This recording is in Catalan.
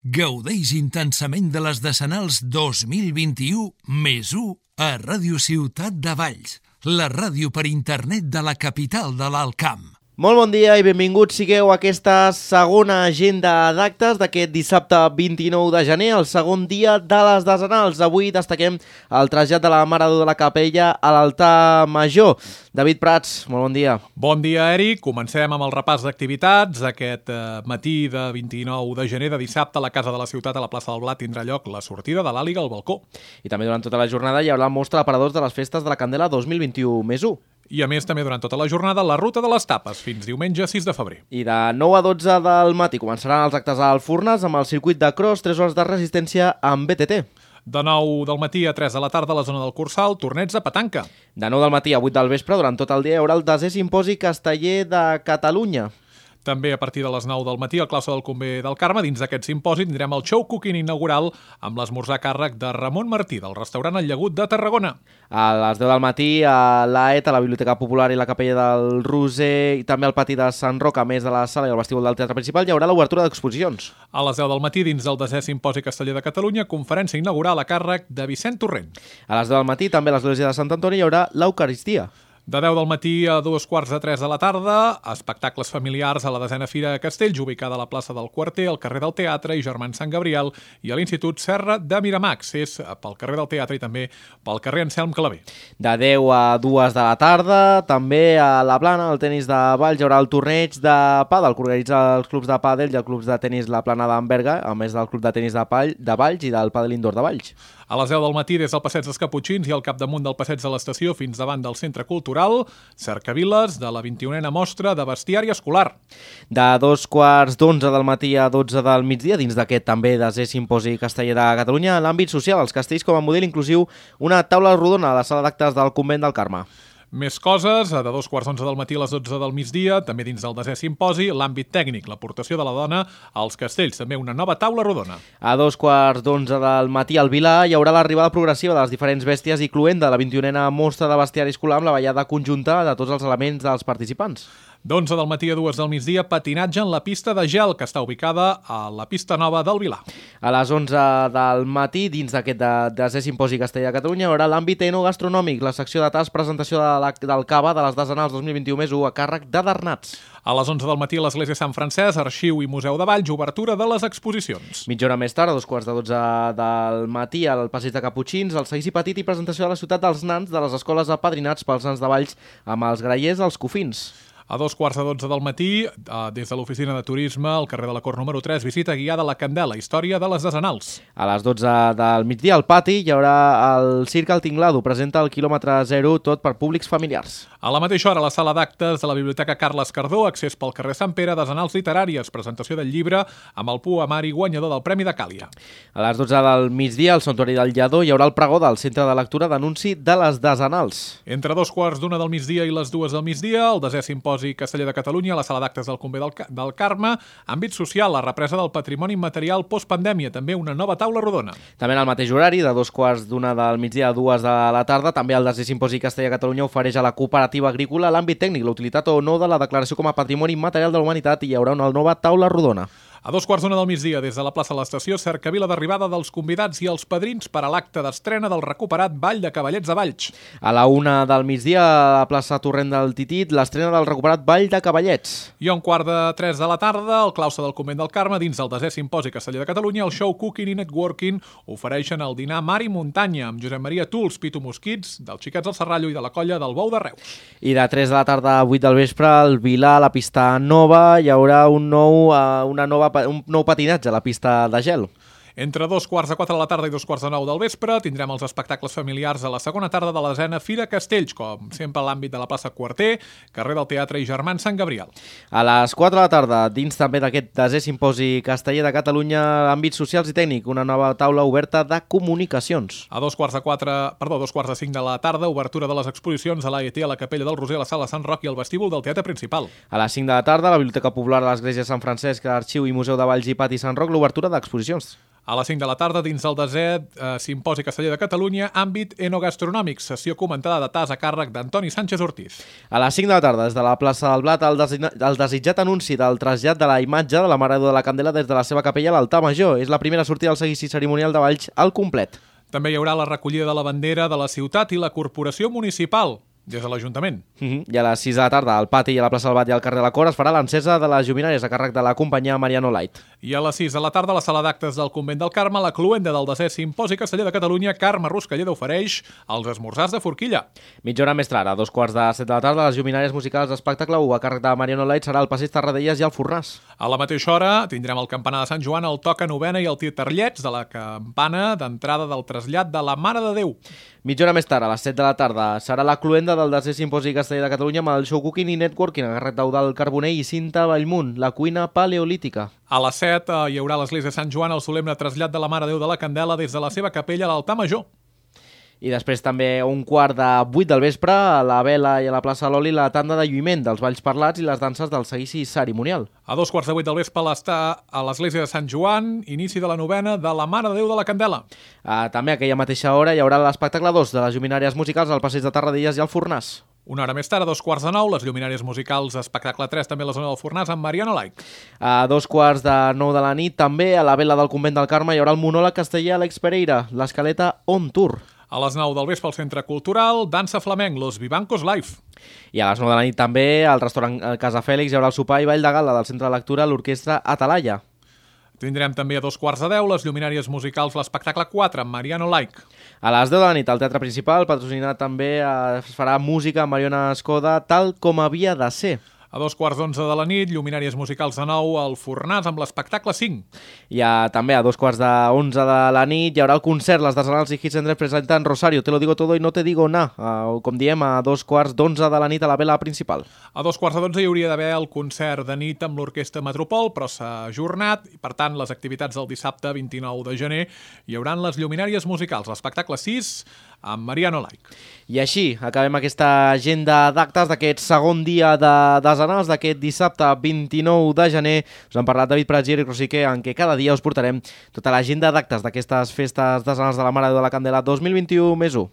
Gaudeix intensament de les Decenals 2021 més 1 a Ràdio Ciutat de Valls, la ràdio per internet de la capital de l'Alt Camp. Molt bon dia i benvinguts sigueu a aquesta segona agenda d'actes d'aquest dissabte 29 de gener, el segon dia de les Decenals. Avui destaquem el trasllat de la Mare de Déu de la Capella a l'altar major. David Prats, molt bon dia. Bon dia, Eric. Comencem amb el repàs d'activitats. Aquest matí de 29 de gener, de dissabte, a la Casa de la Ciutat, a la plaça del Blat, tindrà lloc la sortida de l'Àliga al balcó. I també durant tota la jornada hi haurà el mostre d'aparadors de les festes de la Candela 2021 més 1. I a més, també durant tota la jornada, la ruta de les tapes, fins diumenge 6 de febrer. I de 9 a 12 del matí començaran els actes al Furnes amb el circuit de cross, 3 hores de resistència amb BTT. De 9 del matí a 3 de la tarda a la zona del Cursal, torneig de petanca. De 9 del matí a 8 del vespre, durant tot el dia, hi haurà el 10è Simposi Casteller de Catalunya. També a partir de les 9 del matí al claustre del Convent del Carme, dins d'aquest simposi, tindrem el show cooking inaugural amb l'esmorzar a càrrec de Ramon Martí, del restaurant El Llagut de Tarragona. A les 10 del matí a l'AET, a la Biblioteca Popular i la Capella del Roser, i també al pati de Sant Roc, a més de la sala i el vestíbul del Teatre Principal, hi haurà l'obertura d'exposicions. A les 10 del matí, dins del 10è Simposi Casteller de Catalunya, conferència inaugural a càrrec de Vicent Torrent. A les 10 del matí, també a l'església de Sant Antoni, hi haurà l'Eucaristia. De 10 del matí a 2:45 de la tarda, espectacles familiars a la 10a Fira de Castells, ubicada a la plaça del Quarter, al carrer del Teatre i Germans Sant Gabriel, i a l'Institut Serra de Miramax, és pel carrer del Teatre i també pel carrer Anselm Clavé. De 10 a 2 de la tarda, també a la Plana, al tenis de Valls, hi haurà el torneig de pàdel, que organitza els clubs de pàdel i els clubs de tenis La Plana d'Amberga, a més del club de tenis de Valls i del pàdel indoor de Valls. A les 10 del matí, des del Passeig dels Caputxins i al capdamunt del Passeig de l'Estació fins davant del Centre Cultural, cercaviles de la 21a mostra de bestiari escolar. De 2:15 del matí a 12 del migdia, dins d'aquest també 10è Simposi Casteller de Catalunya, en l'àmbit social, els castells com a model inclusiu, una taula rodona a la sala d'actes del Convent del Carme. Més coses, de 2:11 del matí a les 12 del migdia, també dins del 10è Simposi, l'àmbit tècnic, l'aportació de la dona als castells, també una nova taula rodona. A 2:15 del matí al Vilar hi haurà l'arribada progressiva de les diferents bèsties i cluenda de la 21a mostra de bestiari escolar amb la ballada conjunta de tots els elements dels participants. D'11 del matí a 2 del migdia, patinatge en la pista de gel, que està ubicada a la pista nova del Vilar. A les 11 del matí, dins d'aquest 10è Simposi Casteller de Catalunya, hi haurà l'àmbit enogastronòmic, la secció de tas, presentació del cava de les Decenals 2021 més 1 a càrrec de Darnats. A les 11 del matí a l'Església Sant Francesc, Arxiu i Museu de Valls, obertura de les exposicions. Mitja hora més tard, a 2:15 del matí, al Passeig de Caputxins, el seguici petit i presentació de la ciutat dels nans de les escoles apadrinats pels nans de Valls amb els grallers als cofins. A 2:15 del matí, des de l'oficina de turisme, al carrer de la Cort número 3, visita guiada a la Candela, història de les Decenals. A les 12 del migdia, al pati, hi haurà el Circ El Tinglado, presenta el quilòmetre 0, tot per públics familiars. A la mateixa hora, a la sala d'actes de la Biblioteca Carles Cardó, accés pel carrer Sant Pere, Decenals literàries, presentació del llibre amb el poemari guanyador del Premi de Càlia. A les 12 del migdia, al Santuari del Lledó, hi haurà el pregó del Centre de Lectura d'Anunci de les Decenals. Entre 2:15 del migdia i les 2 del migdia, el 10è Simposi Casteller de Catalunya, a la sala d'actes del Convent del Carme, àmbit social, la represa del patrimoni immaterial postpandèmia, també una nova taula rodona. També en el mateix horari, de 2:15 del migdia a 2 de la tarda, també el 10è Simposi Casteller de Catalunya ofereix a la cooperativa agrícola l'àmbit tècnic, la utilitat o no de la declaració com a patrimoni immaterial de la humanitat, i hi haurà una nova taula rodona. A 2:15 del migdia, des de la plaça de l'Estació, cercavila d'arribada dels convidats i els padrins per a l'acte d'estrena del recuperat Ball de Cavallets de Valls. A la 1 del migdia, a la plaça Torrent del Titit, l'estrena del recuperat Ball de Cavallets. I a 2:45 de la tarda, al claustre del Convent del Carme, dins del 10è Simposi Casteller de Catalunya, el show Cooking i Networking ofereixen el dinar Mar i Muntanya amb Josep Maria Tuls, Pitu Mosquits, dels Xiquets del Serrallo i de la colla del Bou de Reus. I de 3 de la tarda a 8 del vespre, al Vilar, a la pista nova, hi haurà un nou patinatge a la pista de gel. Entre 2:15 de la tarda i 2:45 del vespre tindrem els espectacles familiars a la segona tarda de la 10a Fira Castells, com sempre a l'àmbit de la plaça Quarter, carrer del Teatre i Germans Sant Gabriel. A les 4 de la tarda, dins també d'aquest 10è Simposi Casteller de Catalunya, àmbits socials i tècnic, una nova taula oberta de comunicacions. A 2:45 de la tarda, obertura de les exposicions a l'AET, a la Capella del Roser, a la sala Sant Roc i al vestíbul del Teatre Principal. A les 5 de la tarda, a la Biblioteca Popular de l'Església Sant Francesc, Arxiu i Museu de Valls i Pati Sant Roc, l'obertura d'exposicions. A les 5 de la tarda, dins del desè Simposi Casteller de Catalunya, àmbit enogastronòmic, sessió comentada de tas a càrrec d'Antoni Sánchez Ortiz. A les 5 de la tarda, des de la plaça del Blat, el desitjat anunci del trasllat de la imatge de la Mare de Déu de la Candela des de la seva capella a l'altar major. És la primera sortida del seguici cerimonial de Valls al complet. També hi haurà la recollida de la bandera de la ciutat i la corporació municipal, des de l'Ajuntament. I a les 6 de la tarda, al pati i a la plaça del Bat i al carrer de la Cor es farà l'encesa de les lluminàries a càrrec de la companyia Mariano Light. I a les 6 de la tarda, a la sala d'actes del Convent del Carme, la cloenda del desè Simposi Casteller de Catalunya, Carme Ruscalleda ofereix els esmorzars de forquilla. Mitja hora més tard, a 2:45 de la tarda, les lluminàries musicals d'espectacle 1 a càrrec de Mariano Light serà el passeig Tarradellas i el Fornàs. A la mateixa hora tindrem el campanar de Sant Joan, el toca novena i el titarllets de la campana d'entrada del trasllat de la Mare de Déu. Mitja hora més tard, a les 7 de la tarda, serà la cloenda del desè Simposi Casteller de Catalunya amb el show cooking i networking a càrrec d'Eudald Carbonell i Cinta Bellmunt, la cuina paleolítica. A les 7 hi haurà a l'església de Sant Joan el solemne trasllat de la Mare de Déu de la Candela des de la seva capella a l'altar major. I després també a 7:15 del vespre, a la Vela i a la plaça Loli, la tanda de lluïment dels balls parlats i les danses del seguici cerimonial. A 7:15 del vespre està a l'església de Sant Joan, inici de la novena de la Mare de Déu de la Candela. També a aquella mateixa hora hi haurà l'espectacle 2 de les lluminàries musicals al passeig de Tarradellas i al Fornàs. Una hora més tard, a 9:15, les lluminàries musicals espectacle 3 també a la zona del Fornàs amb Mariano Light. A 9:15 de la nit també a la Vela del Convent del Carme hi haurà el monòleg casteller Àlex Pereira, l'escaleta On Tour. A les 9 del vespre al Centre Cultural, dansa flamenc, Los Vivancos Live. I a les 9 de la nit també al restaurant Casa Fèlix hi haurà el sopar i ball de gala del Centre de Lectura l'Orquestra Atalaya. Tindrem també a 9:15 les lluminàries musicals l'espectacle 4 amb Mariano Light. A les 10 de la nit al Teatre Principal, patrocinat també, es farà música amb Mariona Escoda tal com havia de ser. A 9:15 de la nit, lluminàries musicals de nou al Fornàs amb l'espectacle 5. I també a 9:45 de la nit hi haurà el concert Les Desanals i Hits and Dreams presenten Rosario, Te lo digo todo y no te digo na. Com diem, a 9:15 de la nit a la Vela Principal. A 9:15 hi hauria d'haver el concert de nit amb l'Orquestra Metropol, però s'ha ajornat i, per tant, les activitats del dissabte 29 de gener hi hauran les lluminàries musicals, l'espectacle 6 amb Mariano Light. I així acabem aquesta agenda d'actes d'aquest segon dia de desenals d'aquest dissabte 29 de gener. Us han parlat David Prats i Eric Rosique, en què cada dia us portarem tota l'agenda d'actes d'aquestes festes desenals de la Mare de Déu de la Candela 2021+1.